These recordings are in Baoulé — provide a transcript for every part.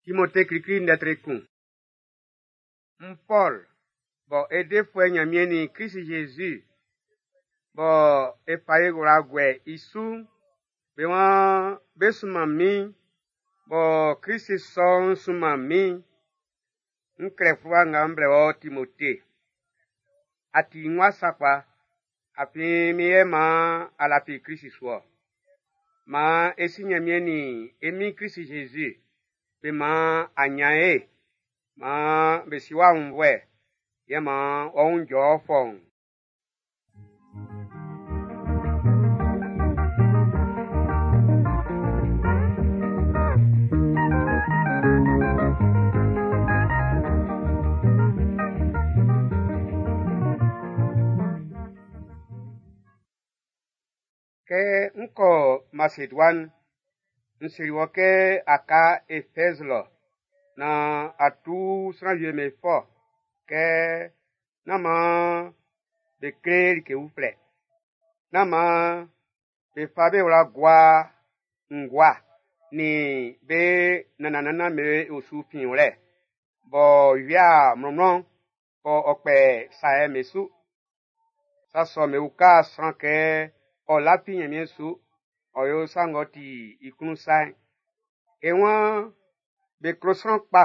Timote klikli ndɛ tre kun. N Pɔl, bɔ e defuɛ Nyanmiɛn nin Krist Jésus, bɔ e fa e wla guɛ i su'n, be waan be sunman min, bɔ Krist sɔ'n sunman min. N klɛ fluwa nga m blɛ wɔ Timote. A ti n wa sakpa, afin min yɛ man a lafi Krist su-ɔ. Man e si Nyanmiɛn nin e Min Krist Jésus be man a nyan ye, man be si wɔ aunnvuɛ, yɛ man ɔ wun jɔ fɔuun. Kɛ n kɔ Maseduan, n seli wɔ kɛ a ka Efɛz lɔ nan a tu sran wie'm be fɔ kɛ nán man be kle like uflɛ. Nán man be fa be wla gua ngua nin be nannan-nannan be osu finwlɛ b'ɔ wia mlɔnmlɔn b'ɔ ɔ kpɛ saɛ'n be su. Sa sɔ'm be uka sran kɛ ɔ lafi Nyanmiɛn su, ɔ yo sa ng'ɔ ti i klun sa'n. E waan be klo sran kpa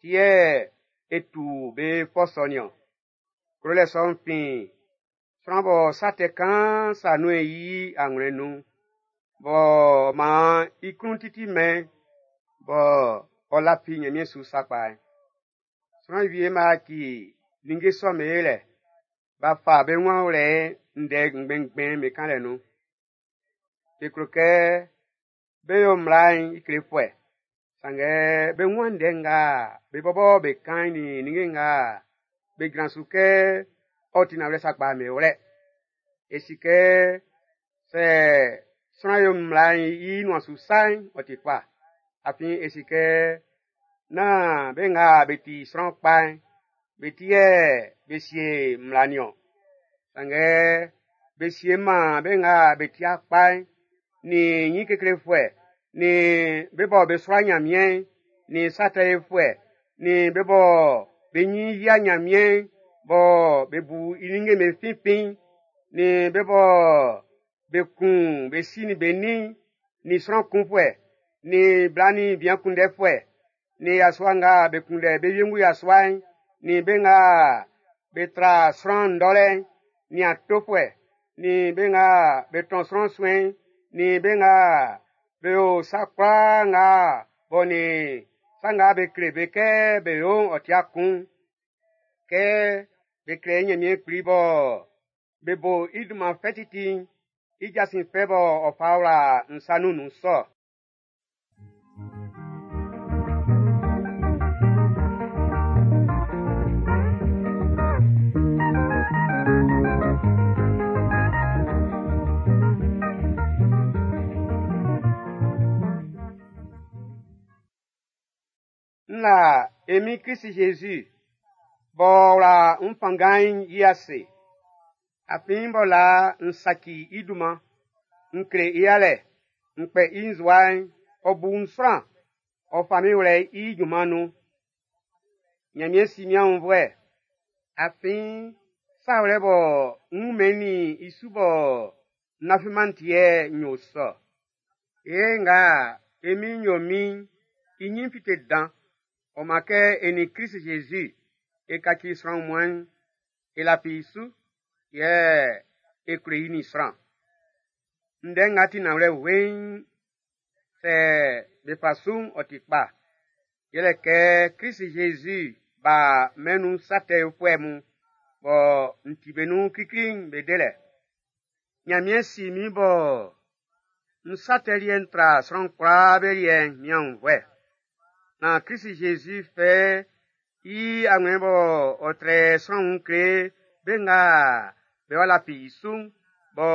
ti yɛ e tu be fɔ sɔ nin-ɔn. Klolɛ sɔ'n fin sran bɔ sa tɛ kaan sa nun i anwlɛn nun, b'ɔ man i klun titi mɛn, bɔ ɔ lafi Nyanmiɛn su sakpa'n. Sran wie b'a ci ninnge sɔ'm be lɛ, b'a fa be wun awlɛ ndɛ ngbɛn-ngbɛn be kanlɛ nun. Be klo kɛ be yo mmla'n i klefuɛ, sanngɛ be wun ndɛ nga be bɔbɔ be kan'n nin ninnge nga be jran su kɛ ɔ ti nanwlɛ sakpa'n be wlɛ. E si kɛ sɛ sran yo mmla'n i nuan su sa'n, ɔ ti kpa. Afin e si kɛ nán be nga be ti sran kpa'n, be ti yɛ be sie mmla nin-ɔn. Sanngɛ be sie man be nga be ti kpa'n, nin nyin keklefuɛ, nin be bɔ be sua Nyanmiɛn'n, nin sa tɛ yofuɛ, nin be bɔ be nyin yia Nyanmiɛn'n, bɔ be bu i ninnge'm be finfin'n, nin be bɔ be kun be si nin be nin'n, nin sran kunfuɛ, nin bla nin bian kunndɛfuɛ, nin yasua nga be kunndɛ be wiengu yasua'n, nin be nga be tra sran ndɔlɛ'n, nin atofuɛ, nin be nga be tɔn sran suɛn'n, nin be nga be yo sa kwlaa nga bɔ nin sa nga be kle be kɛ be yo'n ɔ tia kun. Kɛ be kle Nyanmiɛn Kpli bɔ be bo i dunman fɛ titi'n, i jasin fɛ bɔ ɔ fa wla n sa nun nun sɔ. N la e Min Krist Jésus b'ɔ wla n fanngan'n i ase. Afin b'ɔ la n saci i dunman, n kle i yalɛ, n kpɛ i nzua'n, ɔ bu n sran, ɔ fa min wlɛ i junman nun. Nyanmiɛn si min aunnvuɛ, afin sa wlɛ bɔ n wun-mɛn i su bɔ n lafi-man ti yɛ n yo sɔ. Ye nga e Min'n yo min'n, i nyin fite dan, ɔ man kɛ e nin Krist Jésus e kaci sran wunmuan'n, e lafi i su, yɛ e klo i nin sran. Ndɛ nga ti nanwlɛ weiin, sɛ be fa su'n ɔ ti kpa. Yɛlɛ kɛ Krist Jésus ba mɛn'n nun sa tɛ yofuɛ mun, bɔ n ti be nun klikli'n be delɛ. Nyanmiɛn si min bɔ n sa tɛ liɛ'n tra sran kwlaa be liɛ'n min aunnvuɛ. Nan Krist Jésus fɛ i anwlɛn bɔ ɔ trɛ sran wun kle be nga be wa lafi i su'n, bɔ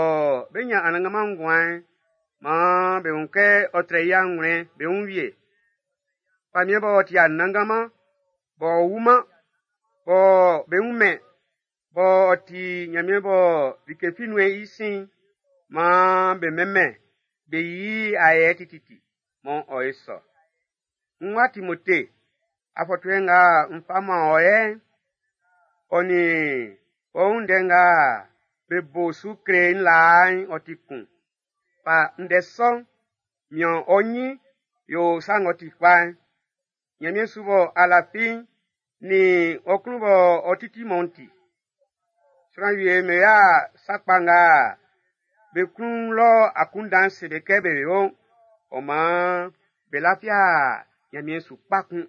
be nyan Anannganman nguan'n, man be wun kɛ ɔ trɛ i anwlɛn be wun wie. Famiɛn b'ɔ ti Anannganman, b'ɔ wu-man, bɔ be wun-mɛn, b'ɔ ti Nyanmiɛn bɔ like fi nun'ɛn i sin'n, man be mɛnmɛn, be yi i ayɛ tititi, man ɔ ye sɔ. N wa Timote, afɔtuɛ nga n fa man ɔ yɛ'n, ɔ nin ɔ wun ndɛ nga be bo su kle n laa'n ɔ ti kun. Fa ndɛ sɔ'n, mian ɔ ɲin yo sa ng'ɔ ti kpa'n. Ɲanmiɛn su bɔ a lafi'n nin ɔ klun bɔ ɔ titi mɔ'n ti. Sran wie me ya sa kpa nga be klun lɔ akunndan'n se be kɛ be yo'n, ɔ maan be lafia Ɲanmiɛn su kpa kun.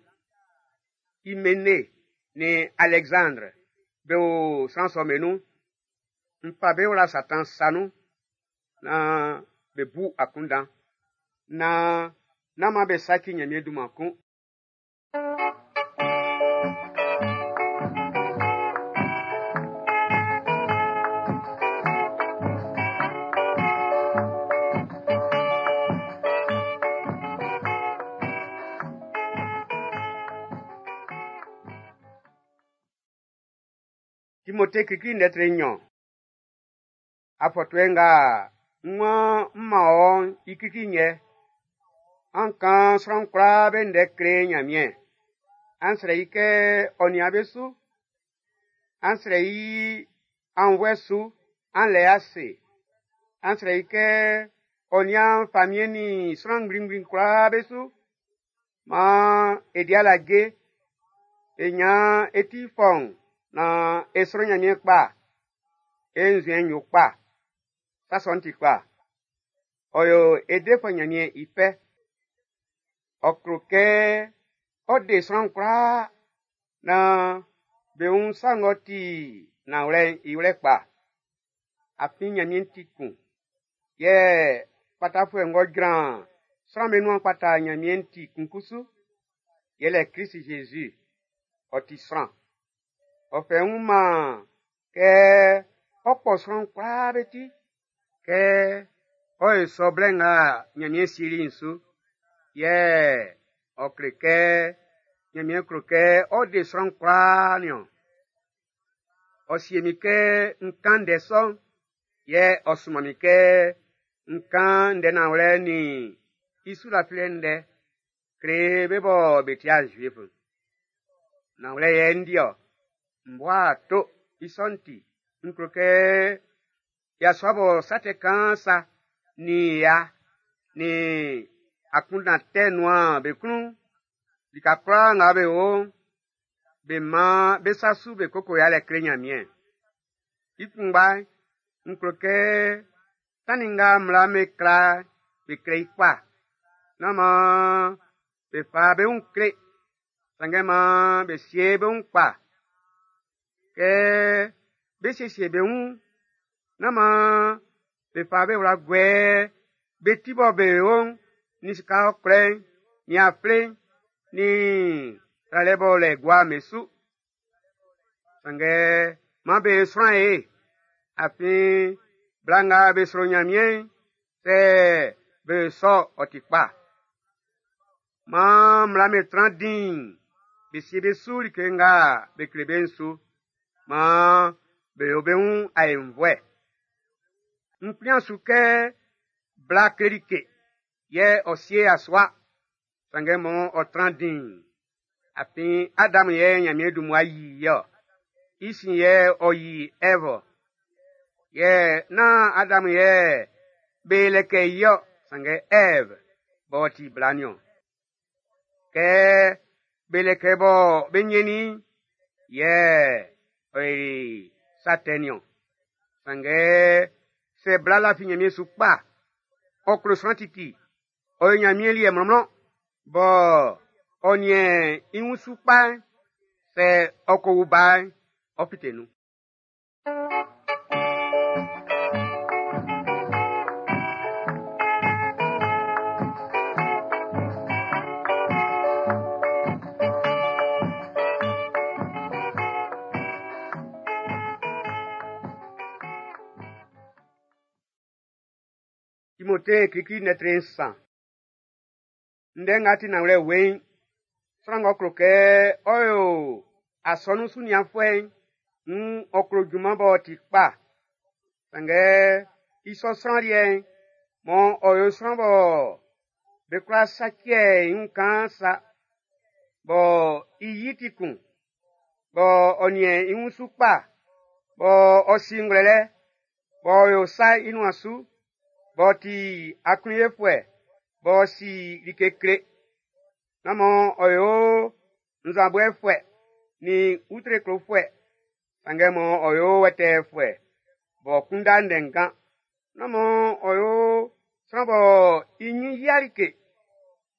Imene nin Alɛksandre be o sran sɔ'm be nun. N fa be wla Satan sa nun naan be bu akunndan, naan nán man be saci Ɲanmiɛn dunman kun. Timote klikli lɛtri nɲɔn. Afɔtuɛ nga n waan n man ɔ'n i klikli yɛ. An kan sran kwlaa be ndɛ kle Ɲanmiɛn. An srɛ i kɛ ɔ nian be su. An srɛ i aunnvuɛ su, an lɛ ase. An srɛ i kɛ ɔ nian famiɛn nin sran ngblingbli kwlaa be su. Maan e di alaje, e ɲan e ti fɔun naan e sro Ɲanmiɛn kpa, e nzuɛn'n yo kpa. Sa sɔ'n ti kpa. Ɔ yo e defuɛ Ɲanmiɛn i fɛ. Ɔ klo kɛ ɔ de sran kwlaa naan be wun sa ng'ɔ ti nanwlɛ'n i wlɛ kpa. Afin Ɲanmiɛn ti kun. Yɛ kpatafuɛ ng'ɔ jran sran'm be nuan kpata Ɲanmiɛn ti kun kusu. Yɛlɛ Klisi Zezi. Ɔ ti sran. Ɔ fɛ i wun man kɛ ɔ kpɔ sran kwlaa be ti. Kɛ ɔ yo sɔ blɛ nga Ɲanmiɛn sieli'n su. Yɛ ɔ kle kɛ Ɲanmiɛn klo kɛ ɔ de sran kwlaa niɔn. Ɔ sie min kɛ n kan ndɛ sɔ'n, yɛ ɔ sunman min kɛ n kan ndɛ nanwlɛ nin i su lafilɛ ndɛ kle be bɔ be ti'a Zuif'n. Nanwlɛ yɛ n di-ɔ, m bua ato i sɔ'n ti, n klo kɛ yasua bɔ sa tɛ kaan sa nin ya nin akunndan tɛ nuan be klun, lika kwlaa nga be o'n, be man be sa su be koko yalɛ kle Ɲanmiɛn. I kunngba'n, n klo kɛ tannin nga mmla'n be kla'n, be kle i kpa. Nán maan be fa be wun kle, sanngɛ maan be sie be wun kpa. Kɛ be siesie be wun'n, nán maan be fa be wla guɛ be ti bɔ be o'n nin sika ɔkwlɛ'n, nin afle'n, nin tralɛ b'ɔ lɛ gua'n be su. Sanngɛ maan be sran ye, afin bla nga be sro Ɲanmiɛn'n, sɛ be yo sɔ ɔ ti kpa. Maan mmla'm be tran diin, be sie be su like nga be kle be'n su. Maan be yo be wun aenvuɛ. N kplian su kɛ bla kle like, yɛ ɔ sie yasua, sanngɛ mɔ ɔ tran diin. Afin Adam yɛ Ɲanmiɛn dun mmua yi i-ɔ. I sin yɛ ɔ yi Ɛv-ɔ. Yɛ nán Adam yɛ be lɛkɛ i-ɔ, sanngɛ Ɛv b'ɔ ti bla niɔn. Kɛ be lɛkɛ bɔ be ɲɛnnin i'n, yɛ ɔ yoli sa tɛ niɔn. Sanngɛ sɛ bla lafi Ɲanmiɛn su kpa, ɔ klo sran titi, ɔ yo Ɲanmiɛn liɛ mlɔnmlɔn, bɔ ɔ niɛn i wun su kpa'n, sɛ ɔ ko wu ba'n, ɔ fite nun. Timote klikli lɛtri nsan. Ndɛ nga ti nanwlɛ weiin, sran ng'ɔ klo kɛ ɔ yo asɔnun sunianfuɛ'n, nn ɔ klo junman b'ɔ ti kpa. Sanngɛ i sɔ sran liɛ'n, mɔ ɔ yo sran bɔ be kwla saciɛ i wun kaan sa. Bɔ i yi ti kun, bɔ ɔ niɛn i wun su kpa, bɔ ɔ si ngwlɛlɛ, b'ɔ yo sa i nuan su, b'ɔ ti aklunyefuɛ, b'ɔ si like kle. Nán man ɔ yo nzanboɛfuɛ nin utre klofuɛ, sanngɛ man ɔ yo wɛtɛɛfuɛ, b'ɔ kunndɛ ndɛnngan. Nán man ɔ yo sran bɔ i nyin yia like,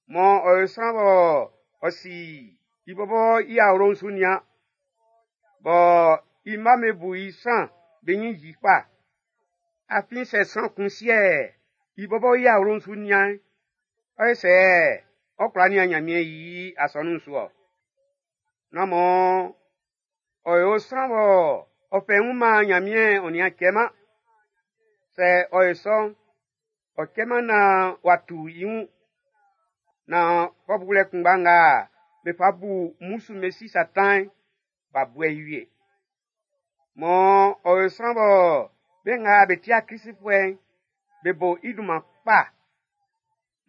man ɔ yo sran bɔ ɔ si i bɔbɔ i awlo'n su nian, bɔ i mma'm be bu i sran be nyin yi kpa. Afin sɛ sran kun sie i bɔbɔ i awlo'n su nian'n, ɔ ye sɛ ɔ kwla nian Nyanmiɛn i asɔnun'n su ɔ. Nán man ɔ yo sran bɔ ɔ fɛ i wun man Nyanmiɛn ɔ nian cɛ-man. Sɛ ɔ yo sɔ'n, ɔ cɛ-man naan w'a tu i wun. Naan fɔ bulɛ kunngba nga be fa bu mmusu be si Satan'n, b'a buɛ i wie. Man ɔ yo sran bɔ be nga be ti'a Kristfuɛ'n, be bo i dunman kpa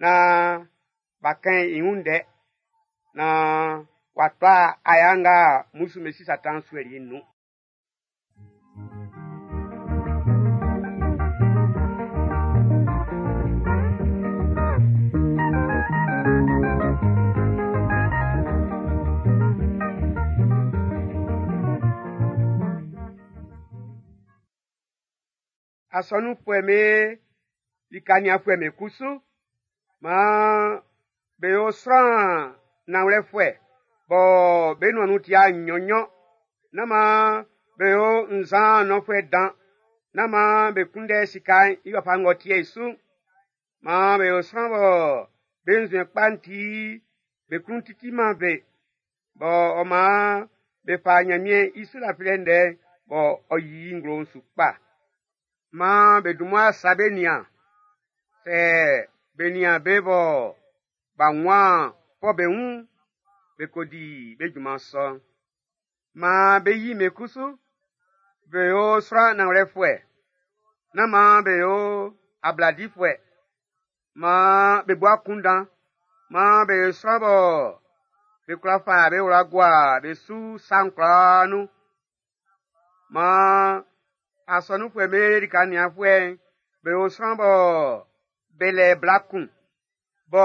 naan b'a kɛn i wun ndɛ, naan w'a tɔ aya nga mmusu be si Satan suɛli i'n nun. Asɔnunfuɛ'm be lika nianfuɛ'm be kusu, maan be yo sran nanwlɛfuɛ bɔ be nuan nun ti'a nnyɔn-nnyɔn. Nán maan be yo nzan nɔnfuɛ dan. Nán maan be kunndɛ sika'n i wafa ng'ɔ ti'ɛ i su'n. Maan be yo sran bɔ be nzuɛn kpa'n ti be klun titi-man be, bɔ ɔ maan be fa Nyanmiɛn i su lafilɛ ndɛ'n bɔ ɔ yi i nglo'n su kpa. Maan be dun mmua sa be nian. Sɛ be nian be bɔ b'a wuan fɔ be wun'n, be ko di be junman sɔ'n. Maan be yi be kusu, be yo sran nanwlɛfuɛ. Nán maan be yo abladifuɛ. Maan be bu akunndan. Maan be yo sran bɔ be kwla fa be wla gua be su sa'n kwlaa nun. Maan asɔnunfuɛ'm be lika nianfuɛ'n, be yo sran bɔ be lɛ bla kun, bɔ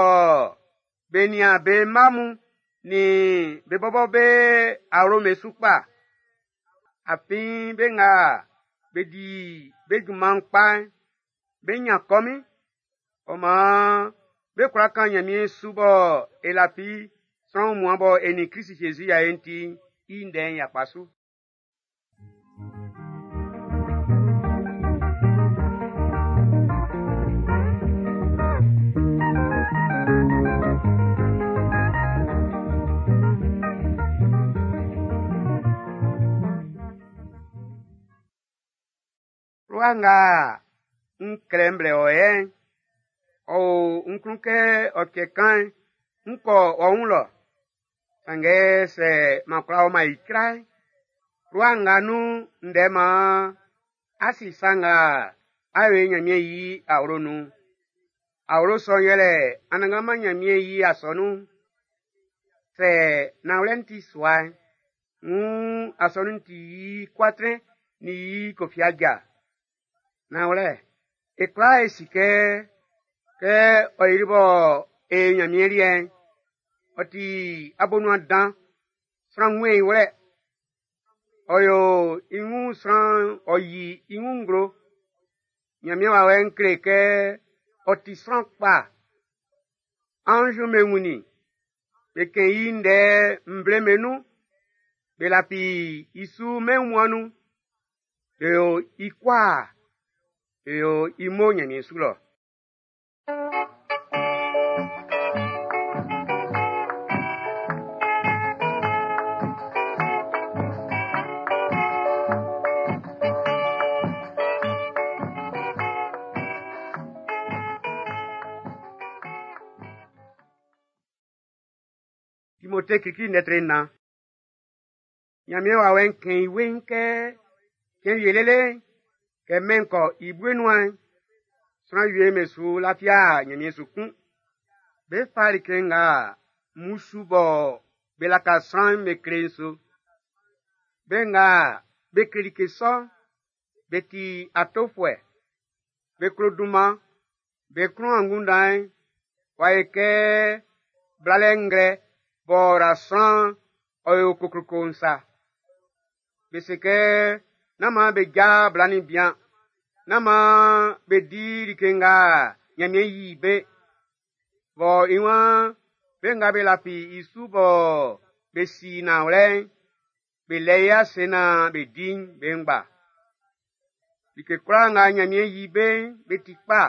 be nian be mma mun nin be bɔbɔ be awlo'm be su kpa. Afin be nga be di be junman'n kpa'n, be nyan kɔmin. Ɔ maan be kwla kan Nyanmiɛn su bɔ e lafi sran wunmuan bɔ e nin Krist Jésus y'a e'n ti'n, i ndɛ'n yakpa su. Fluwa nga n klɛ m blɛ wɔ yɛ'n, ɔ o n klun kɛ ɔ cɛ kan'n, n kɔ ɔ wun lɔ. Sanngɛ sɛ m'an kwla ɔman icra'n, fluwa nga nun ndɛ maan a si sa nga a yo i Nyanmiɛn i awlo nun'n. Awlo sɔ'n yɛlɛ Anannganman Nyanmiɛn i asɔnun'n. Sɛ nanwlɛ'n ti sua'n, wuun asɔnun'n ti i kuatrɛn nin i kofiaja. Nanwlɛ, e kwlaa e si kɛ, kɛ ɔ yili bɔ e Nyanmiɛn liɛ'n, ɔ ti abonuan dan, sran wunmɛn i wlɛ. Ɔ yo i wun sran, ɔ yi i wun nglo. Nyanmiɛn wawɛ'n kle kɛ ɔ ti sran kpa. Anz'm be wunnin, be kɛn i ndɛ nvle'm be nun, be lafi i su mɛn wunmuan'n nun. Be yo i kwaa, be yo i mo Nyanmiɛn su lɔ. Timote klikli lɛtri nnan. Nyanmiɛn wawɛ'n kɛn i weiin kɛ cɛn wie lele'n, kɛ mɛn'n kɔ i bue nuan'n, sran wie'm be su lafi'a Nyanmiɛn su kun. Be fa like nga mmusu bɔ be laka sran'm be kle'n su. Be nga be kle like sɔ'n, be ti atofuɛ, be klo dunman, be klun angunndan'n w'a yo kɛ blalɛ nglɛ b'ɔ ra sran'n ɔ yo kokloko'n sa. Be se kɛ nán maan be ja bla nin bian, nán maan be di like nga Ɲanmiɛn yi be, bɔ i waan be nga be lafi i su bɔ be si nanwlɛ'n, be lɛ i ase naan be di'n be ngba. Like kwlaa nga Ɲanmiɛn yi be'n, be ti kpa.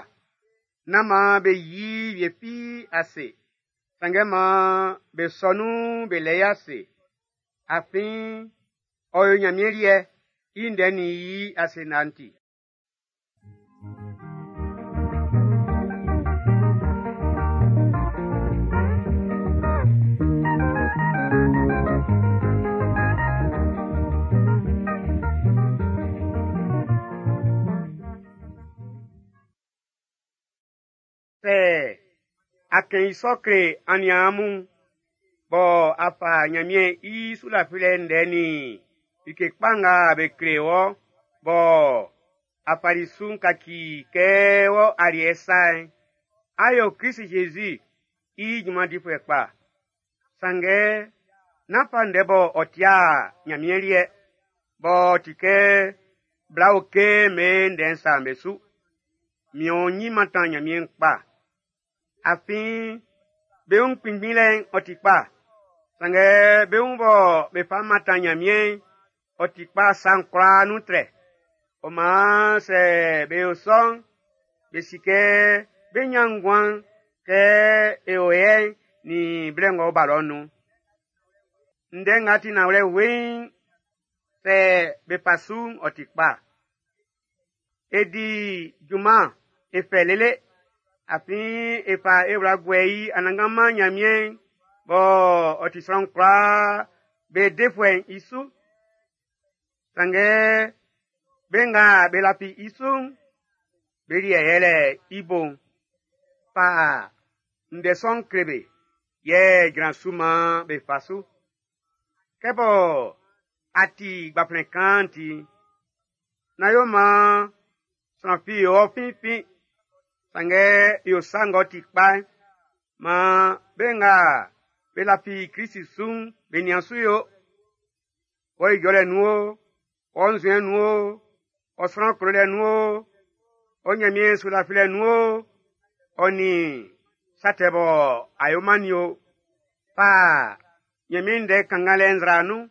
Nán maan be yi wie fi ase, sanngɛ maan be sɔ nun be lɛ i ase. Afin ɔ yo Ɲanmiɛn liɛ, i ndɛ nin i ase nanti. Sɛ a kɛn i sɔ kle aniaan mun, bɔ a fa Nyanmiɛn i sulafilɛ ndɛ nin like kpa nga be kle wɔ bɔ a fali su'n kaci kɛ wɔ aliɛ sa'n, á yó Krist-Jésus i junman difuɛ kpa. Sanngɛ nán fa ndɛ bɔ ɔ ti'a Nyanmiɛn liɛ, b'ɔ ti kɛ bla oke'm be ndɛ'n sa'n be su. Mian ɔ nyin mantan Nyanmiɛn kpa. Afin be wun kpinngbinlɛ'n ɔ ti kpa, sanngɛ be wun bɔ be fa mantan Nyanmiɛn'n, ɔ ti kpa sa'n kwlaa nun trɛ. Ɔ maan sɛ be yo sɔ'n, be si kɛ be ɲan nguan kɛ e o yɛ'n nin blɛ ng'ɔ ba lɔ'n nun. Ndɛ nga ti nanwlɛ weiin, sɛ be fa su'n ɔ ti kpa. E di junman e fɛ lele, afin e fa e wla guɛ i Anannganman Nyanmiɛn'n b'ɔ ɔ ti sran kwlaa be defuɛ'n i su. Sanngɛ be nga be lafi i su'n, be liɛ yɛlɛ i bo'n. Fa ndɛ sɔ'n kle be, yɛ jran su maan be fa su. Kɛ bɔ a ti gbanflɛn kan'n ti'n, nán yo maan sran fi yo ɔ finfin, sanngɛ yo sa ng'ɔ ti kpa'n, maan be nga be lafi Krist su'n be nian su yo. Wɔ ijɔlɛ nun o, wɔ nzuɛn nun o, ɔ sran klolɛ nun o, ɔ Nyanmiɛn sulafilɛ nun o, ɔ nin sa tɛ bɔ a yo-man nin o, fa Nyanmiɛn ndɛ kannganlɛ nzra nun,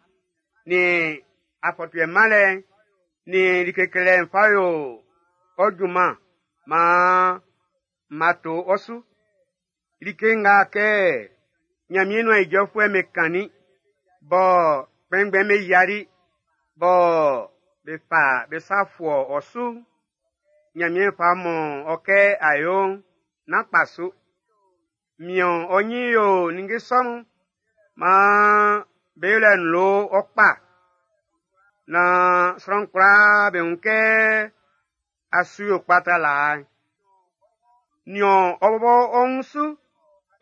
nin afɔtuɛ manlɛ'n, nin like klelɛ'n fa yo ɔ junman maan ma to ɔ su. Like nga kɛ Nyanmiɛn nuan ijɔfuɛ'm be kannin, bɔ kpɛnngbɛn'm be yiali, bɔ be fa be sa fuɔ ɔ su'n, Nyanmiɛn fa mɔ ɔ kɛ a yo'n, nán kpa su. Mian ɔ nyin yo ninnge sɔ mun, maan be yolɛ'n lo ɔ kpa, naan sran kwlaa be wun kɛ a su yo kpa tra laa'n. Nian ɔ bɔbɔ ɔ wun su,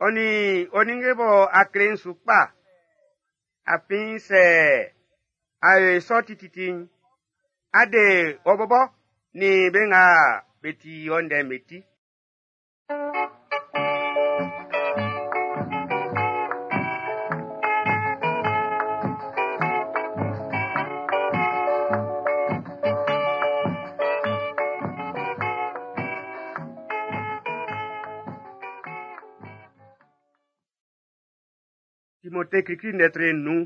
ɔ nin ɔ ninnge bɔ a kle'n su kpa. Afin sɛ a yo i sɔ tititi'n, á dé ɔ bɔbɔ nin be nga be ti ɔ ndɛ'n be ti. Timote klikli ndɛ nun.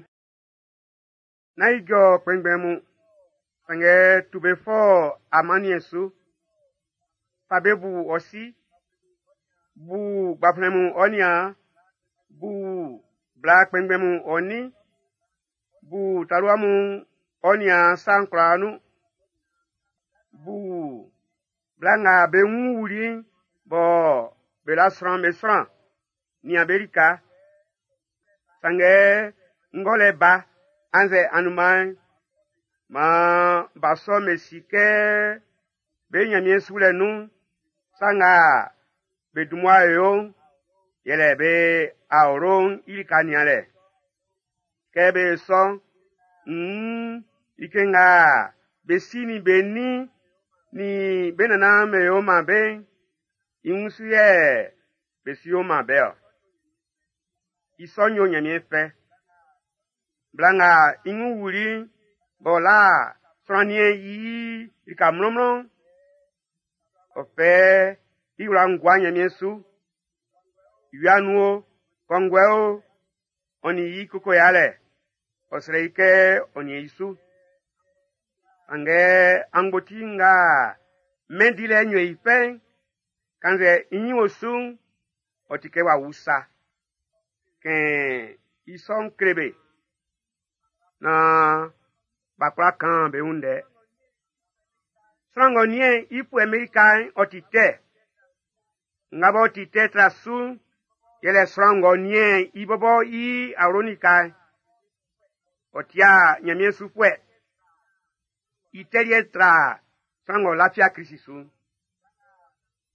Nán ijɔ kpɛnngbɛn mun, sanngɛ tu be fɔ amanniɛn su. Fa be bu ɔ si, bu gbanflɛn mun ɔ niaan, bu bla kpɛnngbɛn mun ɔ nin, bu talua mun ɔ niaan sa'n kwlaa nun. Bu bla nga be wun wuli'n bɔ be la sran'm be sran, nian be lika. Sanngɛ ngɔlɛ ba annzɛ anunman'n, maan ba sɔ'm be si kɛ be Nyanmiɛn sulɛ nun'n, sa nga be dun mmua yo'n, yɛlɛ be awlo'n i lika nianlɛ. Kɛ be yo sɔ'n, nn like nga be si nin be nin nin be nannan be yo man be'n, i wunsu yɛ be su yo man be-ɔ. I sɔ'n yo Ɲanmiɛn fɛ. Bla nga i wun wuli'n, b'ɔ la sran niɛn i lika mlɔnmlɔn'n, ɔ fɛ i wla'n gua Ɲanmiɛn su. Wia nun o, kɔnguɛ o, ɔ nin i koko yalɛ, ɔ srɛ i kɛ ɔ niɛn i su. Sanngɛ angboti nga mɛn dilɛ'n yo i fɛ'n, kannzɛ i ɲin o su'n, ɔ ti kɛ w'a wu sa. Kɛn i sɔ'n kle be naan b'a kwla kan be wun ndɛ. Sran ng'ɔ niɛn i fuɛ'm be lika'n, ɔ ti tɛ. Nga b'ɔ ti tɛ tra su'n, yɛlɛ sran ng'ɔ niɛn i bɔbɔ i awlo'n lika'n. Ɔ tia Ɲanmiɛn sufuɛ. I tɛ liɛ'n tra sran ng'ɔ lafia Klisi su'n.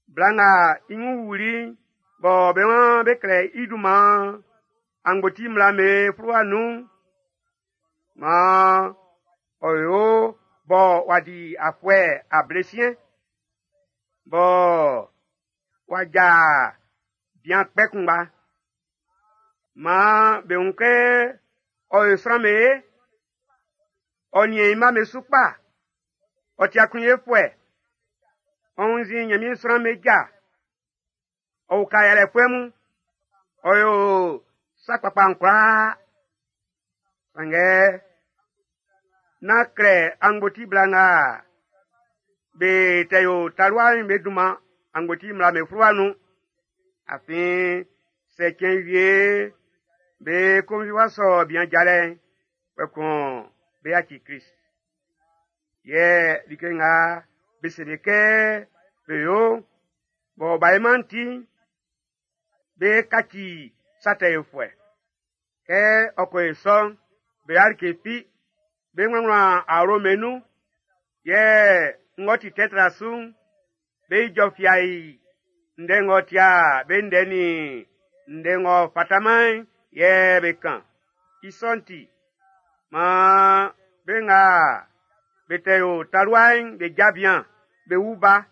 Bla nga i wun wuli'n, bɔ be waan be klɛ i dunman angboti mmla'm be fluwa nun'n, maan ɔ yo bɔ w'a di afuɛ ablesiɛn, bɔ w'a ja bian kpɛ kunngba. Maan be wun kɛ ɔ yo sran'm be ye, ɔ niɛn i mma'm be su kpa, ɔ ti aklunyefuɛ, ɔ wunnzin Ɲanmiɛn sran'm be ja, ɔ uka yalɛfuɛ mun, ɔ yo sa kpakpa'n kwlaa. Sanngɛ nán klɛ angboti bla nga be tɛ yo talua'n be dunman angboti mmla'm be fluwa nun. Afin sɛ cɛn wie be konvi w'a sɔ bian jalɛ'n, kpɛkun be yaci Klist. Yɛ like nga be se be kɛ be yo'n, bɔ b'a yoman'n ti'n, be kaci sa tɛ yofuɛ. Kɛ ɔ ko yo sɔ'n, be yo'a like fi, be wlanwlan awlo'm be nun, yɛ ng'ɔ ti tɛ tra su'n, be ijɔ fiai ndɛ ng'ɔ tia be ndɛ nin ndɛ ng'ɔ fataman'n yɛ be kan. I sɔ'n ti, maan be nga be tɛ yo talua'n be ja bian, be wu ba,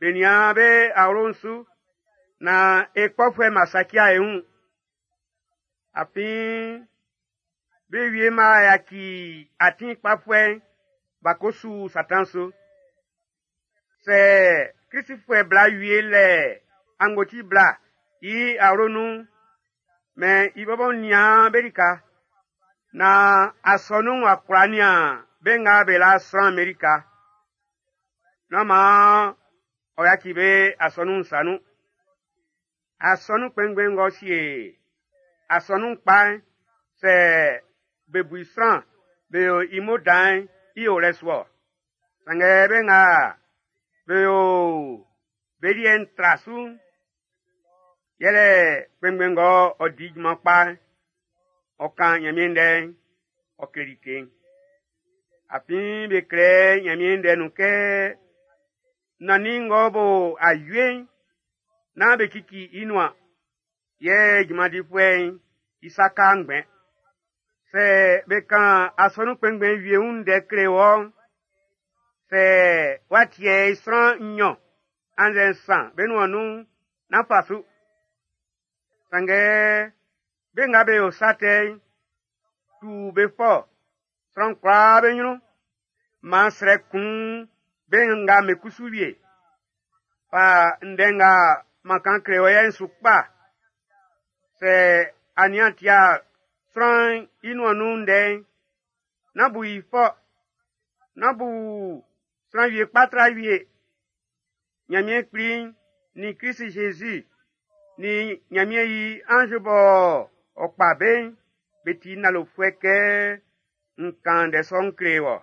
be nian be awlo'n su, naan e kpɔfuɛ'm b'a saci'a e wun. Afin be wie b'a yaci atin kpafuɛ'n b'a ko su Satan su. Sɛ Klisifuɛ bla wie lɛ angboti bla i awlo nun'n, mɛn i bɔbɔ nian be lika, naan asɔnun'n w'a kwla nian be nga be la sran'm be lika. Nán maan ɔ yaci be asɔnun'n sa nun. Asɔnun kpɛnngbɛn ng'ɔ sie asɔnun kpa'n, sɛ be bu i sran be yo i mo dan'n, i o lɛ su-ɔ. Sanngɛ be nga be yo be liɛ'n tra su'n, yɛlɛ kpɛnngbɛn ng'ɔ ɔ di junman kpa'n, ɔ kan Ɲanmiɛn ndɛ'n, ɔ kle like'n. Afin be klɛ Ɲanmiɛn ndɛ'n nun kɛ nannin ng'ɔ bo awie'n, nán be cici i nuan, yɛ junman difuɛ'n i sa ka ngbɛn. Sɛ be kan asɔnun kpɛnngbɛn wie wun ndɛ kle wɔ'n, sɛ w'a tiɛ i sran nɲɔn annzɛ nsan be nuan nun'n, nán fa su. Sanngɛ be nga be yo sa tɛ'n, tu be fɔ sran kwlaa be ɲrun. Maan srɛ kun be nga be kusu wie. Fa ndɛ nga m'an kan kle wɔ yɛ'n su kpa. Sɛ a nian tia sran'n i nuan nun ndɛ'n, nán bu i fɔ. Nán bu sran wie kpa tra wie. Ɲanmiɛn Kpli'n nin Klisi Zezi nin Ɲanmiɛn i anz bɔ ɔ kpa be'n, be ti nalofuɛ kɛ n kan ndɛ sɔ'n kle wɔ.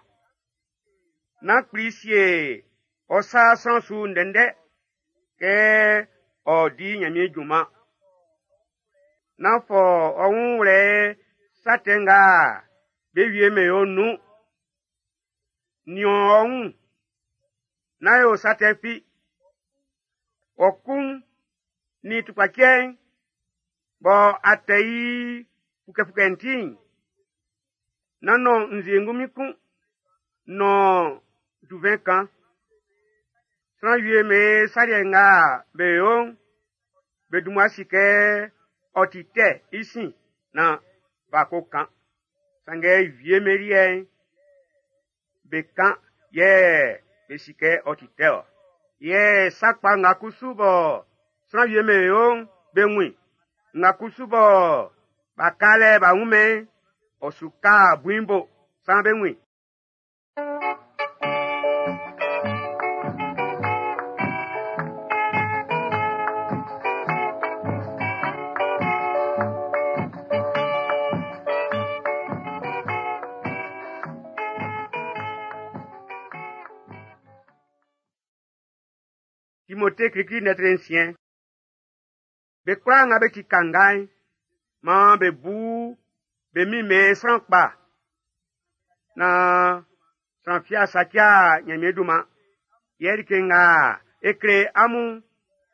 Nán kpli sie ɔ sa sran su ndɛndɛ kɛ ɔ di Ɲanmiɛn junman. Nán fɔ ɔ wun wlɛ sa tɛ nga be wie mɛn yo nun. Nian ɔ wun, nán yo sa tɛ fi. Ɔ ku'n nin tukpacɛ'n bɔ a tɛ i fukɛfukɛ'n ti'n, Nán nɔn nzue ngunmin kun, nɔn duvɛn kan. Sran wie'm be sa liɛ nga be yo'n, be dun mmua si kɛ ɔ ti tɛ i sin naan b'a ko kan. Sanngɛ wie'm be liɛ'n, be kan yɛ be si kɛ ɔ ti tɛ ɔ. Yɛ sa kpa nga kusu bɔ sran wie'm be yo'n, be wun i. Nga kusu bɔ b'a ka lɛ b'a wun-mɛn, ɔ su ka bui'n bo, saan be wun i. Timote klikli lɛtri nsiɛn. Be kwlaa nga be ti kanga'n, maan be bu be min'm be sran kpa naan sran fi a saci'a Ɲanmiɛn dunman. Yɛ like nga e kle amun'n,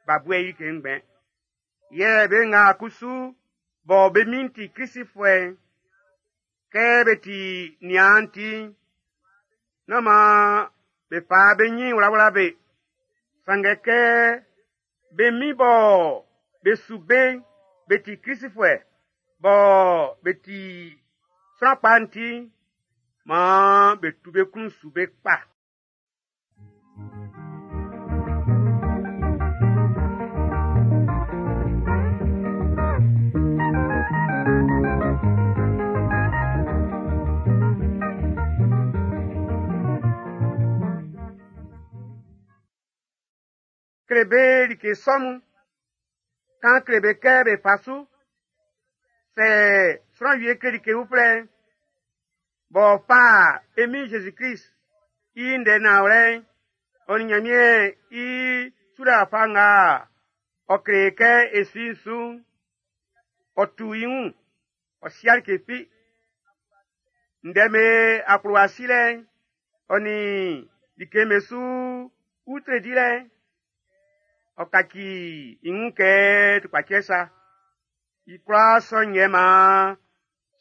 b'a bu i like ngbɛn. Yɛ be nga kusu bɔ be min'n ti Klisifuɛ'n, kɛ be ti niaan ti'n, nán maan be fa be ɲin wlawla be. Sanngɛ kɛ be min bɔ be su be'n be ti Klisifuɛ bɔ be ti sran kpa'n ti'n, maan be tu be klun su be kpa. Kle be like sɔ mun, kan kle be kɛ be fa su. Sɛ sran wie kle like uflɛ'n, b'ɔ fa e Min Jésus-Krist i ndɛ nanwlɛ'n, ɔ nin Nyanmiɛn i sulɛ wafa nga ɔ kle kɛ e su i'n su'n, ɔ tu i wun, ɔ si'a like fi. Ndɛ'm be akplowa silɛ'n, ɔ nin like'm be su utre dilɛ'n, ɔ kaci i wun kɛ tukpacɛ sa. I kwlaa sɔ'n yɛ maan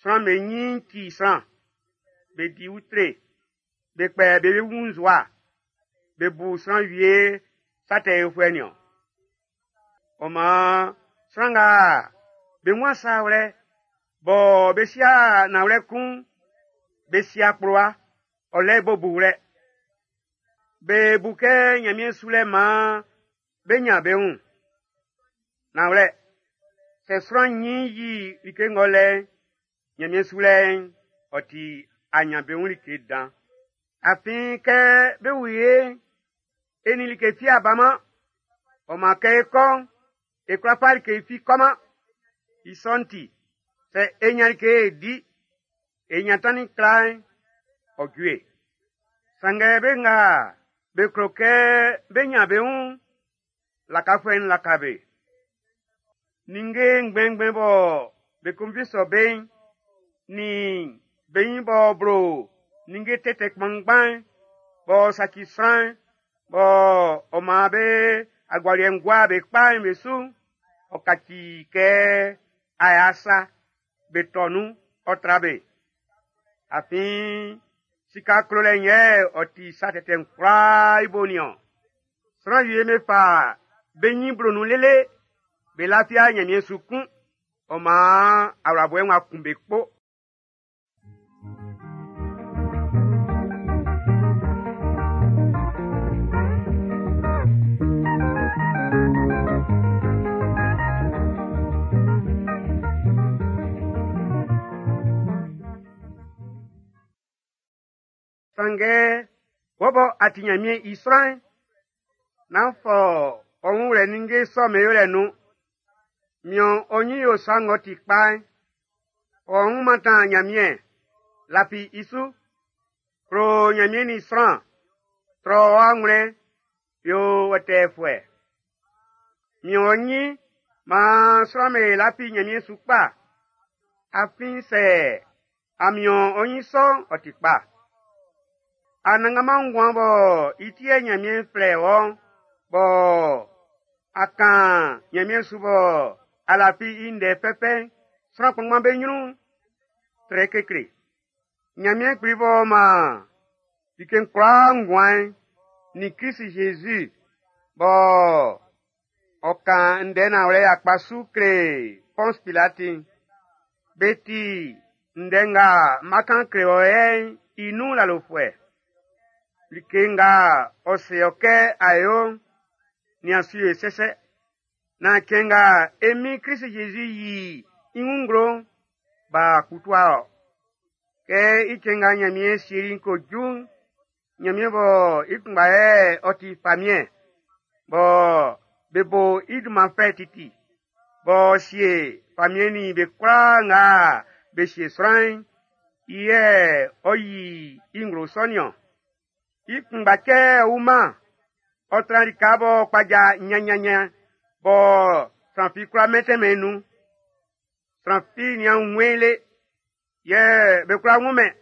sran'm be ɲin ci sran, be di utre, be kpɛ be wun nzowa, be bu sran wie sa tɛ yofuɛ niɔn. Ɔ maan sran nga be wun sa wlɛ bɔ be si'a nanwlɛ kun'n, be si akplowa, ɔ lɛ i bo buwlɛ. Be bu kɛ Ɲanmiɛn sulɛ maan be ɲan be wun. Nanwlɛ, sɛ sran ɲin yi like ng'ɔ lɛ i'n, Ɲanmiɛn sulɛ'n, ɔ ti aɲanbeun like dan. Afin kɛ be wu e'n, e nin like fi a baman. Ɔ maan kɛ é kɔ́ʼn, e kwla fa like fi kɔman. I sɔ'n ti, sɛ e ɲan like e di, e ɲan tannin kla'n, ɔ ju e. Sanngɛ be nga be klo kɛ bé ɲán be wun'n, lakafuɛ'n laka be. Ninnge ngbɛnngbɛn bɔ be konvi sɔ be'n, nin be ɲin b'ɔ blo ninnge tɛtɛ kpanngban'n, b'ɔ saci sran'n, b'ɔ ɔ maan be agualiɛ'n gua be kpa'n be su'n, ɔ kaci kɛ aya sa, be tɔ nun, ɔ tra be. Afin sika klolɛ'n yɛ ɔ ti sa tɛtɛ'n kwlaa i bo nin-ɔn. Sran wie be fa be ɲin blo nun lele, be lafi'a Ɲanmiɛn su kun, ɔ maan awlabɔɛ'n w'a kun be kpo. Sanngɛ wɔ bɔ a ti Ɲanmiɛn i sran'n, nán fɔ ɔ wun wlɛ ninnge sɔ'm be yolɛ nun. Mian ɔ ɲin yo sa ng'ɔ ti kpa'n. Ɔ wun mantan Ɲanmiɛn, lafi i su. Klo Ɲanmiɛn nin sran, trɔ ɔ anwlɛn, yo wɛtɛɛfuɛ. Mian ɔ ɲin maan sran'm be lafi Ɲanmiɛn su kpa. Afin sɛ a mian ɔ ɲin sɔ'n, ɔ ti kpa. Anannganman nguan bɔ i ti yɛ Ɲanmiɛn flɛ wɔ'n, bɔ a kan Ɲanmiɛn su bɔ a lafi i ndɛ fɛfɛ'n, sran kpanngban be ɲrun'n, trɛ kekle. Ɲanmiɛn Kpli b'ɔ maan like'n kwlaa nguan'n nin Klisi Zezi bɔ ɔ kan ndɛ nanwlɛ yakpa su kle Pɔns Pilati'n, be ti ndɛ nga n ma kan kle wɔ yɛ'n i nun lalofuɛ. Like nga ɔ se ɔ kɛ a yo'n, nian su yo i sɛsɛ. Naan cɛn nga e Min Klisi Zezi yi i wun nglo'n, b'a kputua ɔ. Kɛ i cɛn nga Ɲanmiɛn sieli'n ko ju'n, Ɲanmiɛn bɔ i kunngba yɛ ɔ ti famiɛn, bɔ be bo i dunman fɛ titi, b'ɔ sie famiɛn nin be kwlaa nga be sie sran'n, i yɛ ɔ yi i nglo sɔ nin-ɔn. I kunngba cɛ ɔ wuman, ɔ tran lika b'ɔ kpaja nyannyannyan bɔ sran fi kwlá mɛntɛnmɛn i nun. Sran fi nian wunmɛn i le, yɛ be kwlá wunmɛn.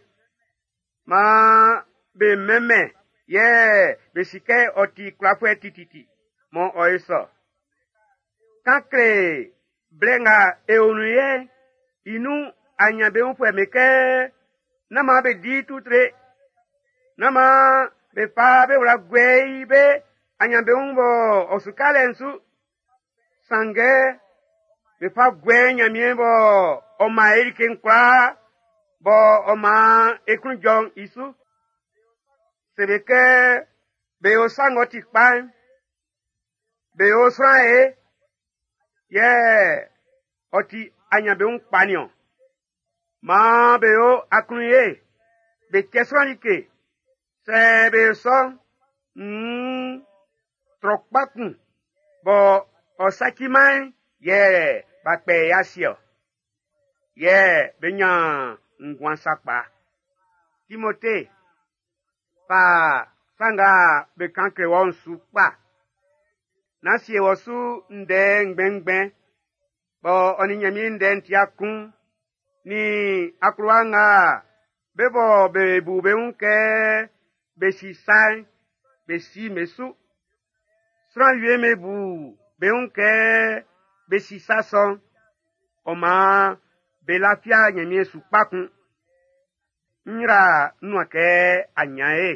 Maan be mɛnmɛn yɛ be si kɛ ɔ ti kwlafuɛ tititi, mɔ ɔ ye sɔ. Kan kle blɛ nga e o nun yɛ'n i nun aɲanbeunfuɛ'm be kɛ nán maan be di tutre, nán maan be fa be wla guɛ i be aɲanbeun bɔ ɔ su ka lɛ'n su. Sanngɛ be fa guɛ i Ɲanmiɛn bɔ ɔ man e like'n kwlaa bɔ ɔ maan e klun jɔ'n i su. Se be kɛ be yo sa ng'ɔ ti kpa'n, be yo sran ye, yɛ ɔ ti aɲanbeun kpa nin-ɔn. Maan be yo aklunye, be cɛ sran like. Sɛ be yo sɔ'n, nn trɔ kpa kun bɔ ɔ saciman'n yɛ b'a kpɛ i ase-ɔ. Yɛ be ɲan nguan sakpa. Timote, fa sa nga be kan kle wɔ'n su kpa. Nán sie wɔ su ndɛ ngbɛnngbɛn bɔ ɔ nin Ɲanmiɛn ndɛ'n ti'a kun, nin akplowa nga be bɔ be bu be wun kɛ be si sa'n, be si be su. Sran wie'm be bu be wun kɛ be si sa sɔ'n, ɔ maan be lafia Ɲanmiɛn su kpa kun. N yra n nuan kɛ a ɲan e.